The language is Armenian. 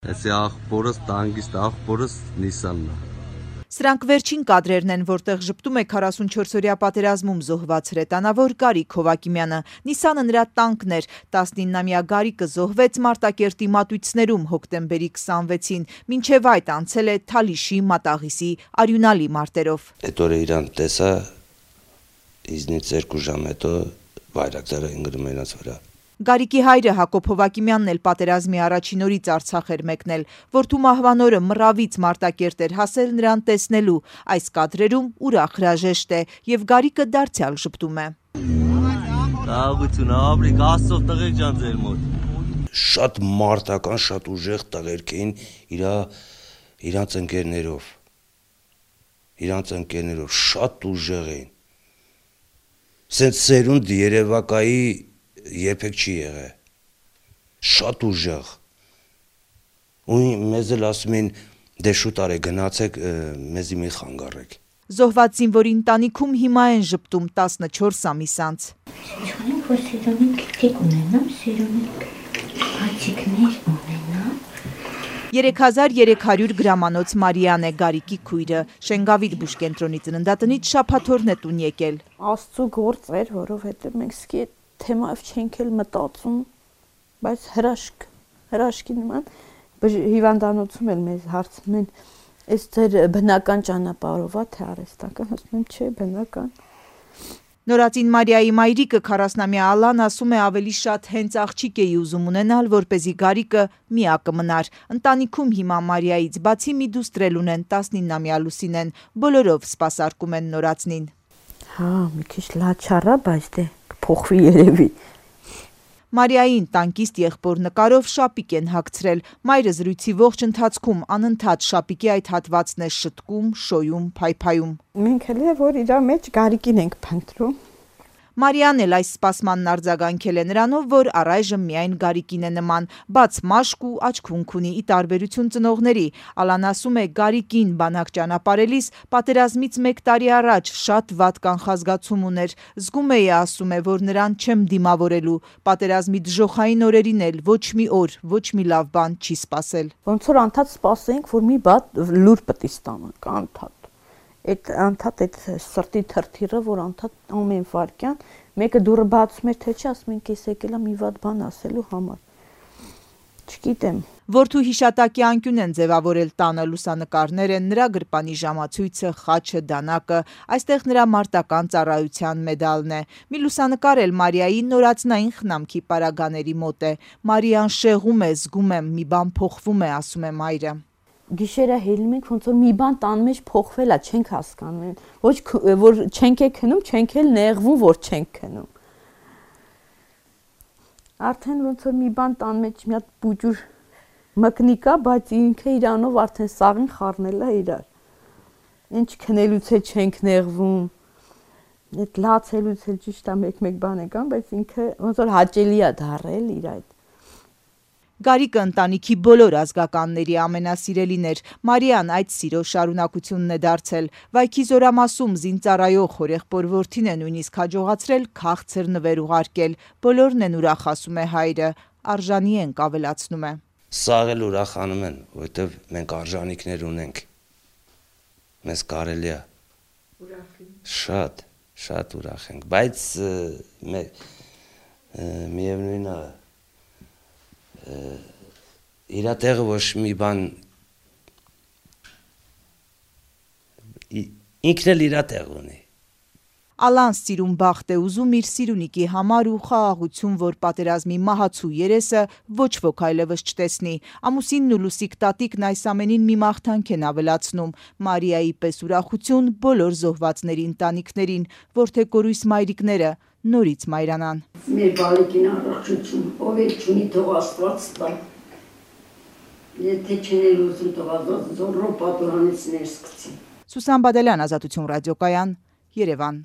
Էսի աղբորս, տանգիստ աղբորս Նիսանն է։ Սրանք վերջին կադրերն են, որտեղ ժպտում է 44-օրյա պատերազմում զոհված հրետանավոր Գարիկ Հովակիմյանը։ Նիսանը նրա տանկն էր, 19-ամյա Գարիկը զոհվեց Մարտակերտի մատույցներում հոկտեմբերի 26-ին, մինչև այդ անցել է Թալիշի, Մատաղիսի արյունալի մարտերով։ Այդ օրը իրան տեսա, իզնից 2 ժամ հետո բայրակտարը ընկնում իրաց վրա։ Գարիկի հայրը Հակոբ Հովակիմյանն էլ պատերազմի առաջին օրից Արցախ էր մեկնել, որդու մահվան օրը մռավից Մարտակերտ էր հասել նրան տեսնելու։ Այս կադրերում ուրախ հրաժեշտ է եւ Գարիկը դարձյալ ժպտում է։ Տաղություն, ապրիկ, Աստծո տղեկ ջան ձեր մոտ։ Շատ մարտական, շատ ուժեղ տղերք էին իրանց ընկերներով, շատ ուժեղ էին։ Սենց սերունդ Երևակայի երբեք չի եղել, շատ ուժեղ, ու մեզ էլ ասում էին, դե շուտ արեք գնացեք, մեզի մի խանգարեք։ Զոհված զինվորի ընտանիքում հիմա են ժպտում 14 ամիս անց։ Չունենք, որ սիրունիկ լիք ունենամ, սիրունիկ հացիկներ ունենամ։ 3300 գրամանոց Մարիան է Գարիկի քույրը, Շենգավիթ բուժկենտրոնի ծննդատնից շաբաթօրն է տուն եկել։ Աստծո գործ էր, որովհետև մենք սկի թեմայով չենք էլ մտածում, բայց հրաշքի նման հիվանդանոցում էլ մեզ հարցնում են, այս ձեր բնական ճանապարհով է թե արհեստական, ասում եմ չէ, բնական։ Նորածին Մարիայի մայրիկը 40-ամյա Ալան ասում է ավելի շատ հենց աղջիկ էի ուզում ունենալ, որպեսզի Գարիկը միակը մնար։ Ընտանիքում հիմա Մարիայից բացի մի դուստր էլ ունեն 19-ամյա Լուսինեն, բոլորով սպասարկում են նորածնին։ Հա, մի քիչ լաչառա, բայց դե կփոխվի երևի։ Մարիային տանկիստ եղբոր նկարով շապիկ են հագցրել։ Մայրը զրույցի ողջ ընթացքում անընդհատ շապիկի այդ հատվածն է շտկում, շոյում, փայփայում։ Մենք էլ է, որ իր մեջ Գարիկին ենք փնտրում։ Մարիան էլ այս սպասմանն արձագանքել է նրանով, որ առայժմ միայն Գարիկին է նման, բաց մաշկ ու աչքունք ունի, ի տարբերություն ծնողների։ Ալան ասում է Գարիկին բանակ ճանապարհելիս պատերազմից 1 տարի առաջ շատ վատ կանխազգացում ուներ։ Զգում էի, ասում է, որ նրան չեմ դիմավորելու։ Պատերազմի դժոխային օրերին էլ ոչ մի օր, ոչ մի լավ բան չի սպասել։ Ոնց որ անդադ սպասենք, որ մի բան լուր պետք է ստանանք, անդադ։ Այդ սրտի թրթիռը, որ անդադ ամեն վարքյան մեկը դուրը բացում էր, թե չի, ասում ենք ես եկել եմ մի վատ բան ասելու համար։ Չգիտեմ։ Որդու հիշատակի անկյուն են ձևավորել տանը լուսանկարներ են, նրա գրպանի ժամացույցը, խաչը, դանակը, այստեղ նրա մարտական ծառայության մեդալն է։ Մի լուսանկար էլ Մարիայի նորածնային խնամքի պարագաների մոտ է։ Մարիան շեղում է, զգում եմ, մի բան փոխվում է, ասում է մայրը։ Գիշերը հելնում ենք, ոնց որ մի բան տան մեջ փոխվել է, չենք հասկանում, ոչ որ չենք քնում, չենք էլ նեղվում, որ չենք քնում։ Արդեն ոնց որ մի բան տան մեջ մի հատ բուջուր մկնի կա, բայց ինքը իրանով արդեն սաղին խառնել է իրար։ Ինչ քնելուց է չենք նեղվում։ Այդ լացելուց էլ ճիշտ է մեկ բան է կան, բայց ինքը ոնց որ հաճելի է դարել իր այդ։ Գարիկը ընտանիքի բոլոր ազգականների ամենասիրելին էր։ Մարիան այդ սիրո շարունակությունն է դարձել։ Վայքի զորամասում զինծառայող հորեղբոր որդին է նույնիսկ հաջողացրել քաղցր նվեր ուղարկել։ Բոլորն են ուրախ, ասում է հայրը, արժանի ենք, ավելացնում է։ Սաղ էլ ուրախանում են, որովհետև մենք արժանինքներ ունենք։ Մեզ կարելի է։ Շատ ուրախ ենք, բայց միևնույնն է իրա տեղը ոչ մի բան ինքն էլ իրա տեղ ունի։ Ալան սիրուն բախտ է ուզում իր սիրունիկի համար ու խաղաղություն, որ պատերազմի մահացու երեսը ոչ ոք այլևս չտեսնի։ Ամուսինն ու Լուսիկ տատիկն այս ամենին մի մաղթանք են ավելացնում։ Մարիայի պես ուրախություն բոլոր զոհվածների ընտանիքներին, որդեկորույս մայրիկները նորից մայրանան։ Մեր բալիկին առողջություն, ով էլ չունի թող Աստված տա։ Եթե չեն ուզում թող զորրո պատուհանից ներս գցի։ Սուսան Բադալյան, Ազատություն ռադիոկայան, Երևան։